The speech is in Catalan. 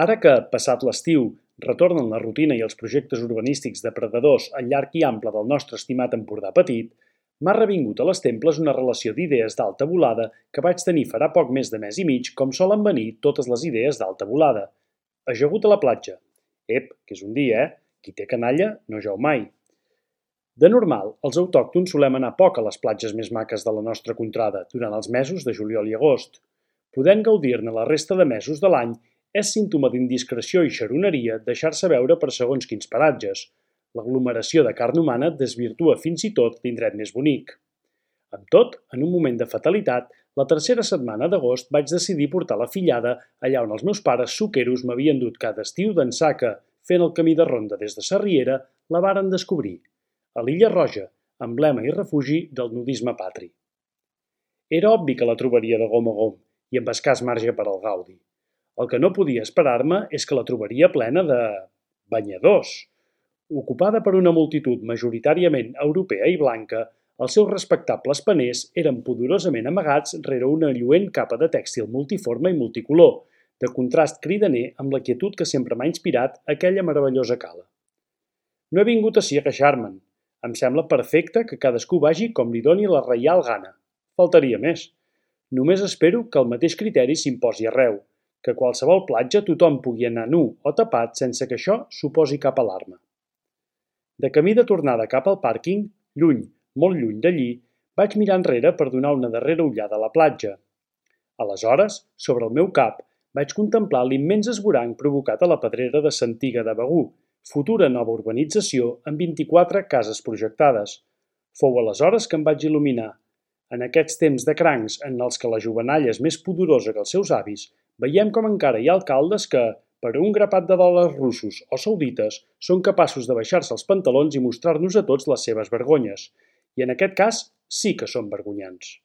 Ara que, passat l'estiu, retornen la rutina i els projectes urbanístics depredadors al llarg i ample del nostre estimat Empordà Petit, m'ha revingut a les temples una relació d'idees d'alta volada que vaig tenir farà poc més de mes i mig, com solen venir totes les idees d'alta volada. Ajagut a la platja. Ep, que és un dia, eh? Qui té canalla no jau mai. De normal, els autòctons solem anar poc a les platges més maques de la nostra contrada durant els mesos de juliol i agost. Podent gaudir-ne la resta de mesos de l'any és símptoma d'indiscreció i xaroneria deixar-se veure per segons quins paratges. L'aglomeració de carn humana desvirtua fins i tot l'indret més bonic. Amb tot, en un moment de fatalitat, la tercera setmana d'agost vaig decidir portar la fillada allà on els meus pares suqueros m'havien dut cada estiu d'ençà que, fent el camí de ronda des de Sarriera, la varen descobrir, a l'Illa Roja, emblema i refugi del nudisme patri. Era obvi que la trobaria de gom a gom i amb escàs marge per al gaudi. El que no podia esperar-me és que la trobaria plena de banyadors. Ocupada per una multitud majoritàriament europea i blanca, els seus respectables paners eren pudorosament amagats rere una lluent capa de tèxtil multiforme i multicolor, de contrast cridaner amb la quietud que sempre m'ha inspirat aquella meravellosa cala. No he vingut ací a queixar-me'n. Em sembla perfecte que cadascú vagi com li doni la reial gana. Faltaria més. Només espero que el mateix criteri s'imposi arreu, que a qualsevol platja tothom pugui anar nu o tapat sense que això suposi cap alarma. De camí de tornada cap al pàrquing, lluny, molt lluny d'allí, vaig mirar enrere per donar una darrera ullada a la platja. Aleshores, sobre el meu cap, vaig contemplar l'immens esvoranc provocat a la pedrera de Santiga de Begur, futura nova urbanització amb 24 cases projectades. Fou aleshores que em vaig il·luminar. En aquests temps de crancs en els que la jovenalla és més pudorosa que els seus avis, veiem com encara hi ha alcaldes que, per un grapat de dòlars russos o saudites, són capaços de baixar-se els pantalons i mostrar-nos a tots les seves vergonyes. I en aquest cas sí que són vergonyants.